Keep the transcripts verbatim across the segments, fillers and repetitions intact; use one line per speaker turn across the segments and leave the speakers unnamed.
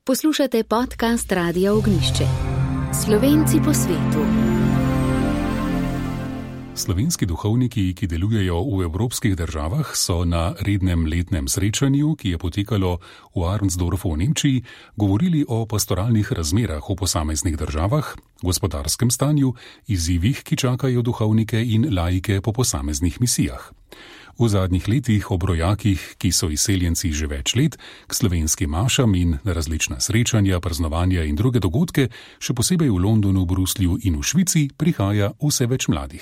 Poslušate podcast Radia Ognišče. Slovenci po svetu.
Slovenski duhovniki, ki delujejo v evropskih državah, so na rednem letnem srečanju, ki je potekalo v Arnsdorfu v Nemčiji, govorili o pastoralnih razmerah v posameznih državah, gospodarskem stanju, izzivih, ki čakajo duhovnike in laike po posameznih misijah. V zadnjih letih ob rojakih, ki so izseljenci že več let, k slovenskim mašam in na različna srečanja, praznovanja in druge dogodke, še posebej v Londonu, Bruslju in v Švici, prihaja vse več mladih.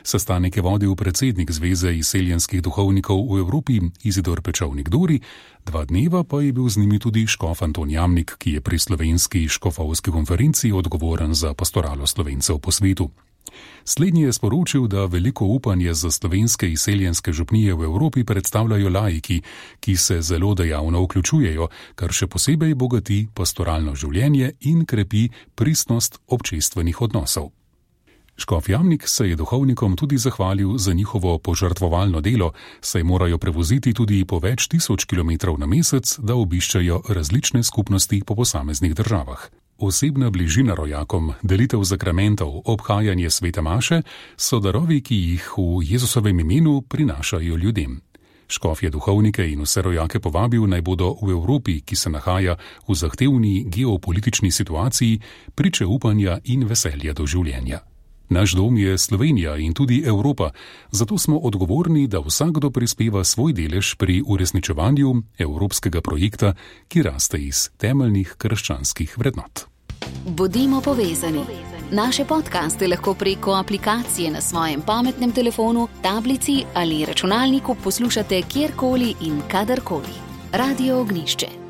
Sestanek je vodil predsednik Zveze izseljenskih duhovnikov v Evropi Izidor Pečovnik-Dori, dva dneva pa je bil z njimi tudi škof Anton Jamnik, ki je pri slovenski škofovski konferenci odgovoren za pastoralo Slovencev po svetu. Slednji je sporočil, da veliko upanje za slovenske izseljenske župnije v Evropi predstavljajo laiki, ki se zelo dejavno vključujejo, kar še posebej bogati pastoralno življenje in krepi pristnost občestvenih odnosov. Škof Jamnik se je duhovnikom tudi zahvalil za njihovo požrtvovalno delo, saj morajo prevoziti tudi po več tisoč kilometrov na mesec, da obiščajo različne skupnosti po posameznih državah. Osebna bližina rojakom, delitev zakramentov, obhajanje svete maše so darovi, ki jih v Jezusovem imenu prinašajo ljudem. Škof je duhovnike in vse rojake povabil, naj bodo v Evropi, ki se nahaja v zahtevni geopolitični situaciji, priče upanja in veselja do življenja. Naš dom je Slovenija in tudi Evropa, zato smo odgovorni, da vsakdo prispeva svoj delež pri uresničevanju evropskega projekta, ki raste iz temeljnih krščanskih vrednot.
Bodimo povezani. Naše podcaste lahko preko aplikacije na svojem pametnem telefonu, tablici ali računalniku poslušate kjerkoli in kadarkoli. Radio Ognišče.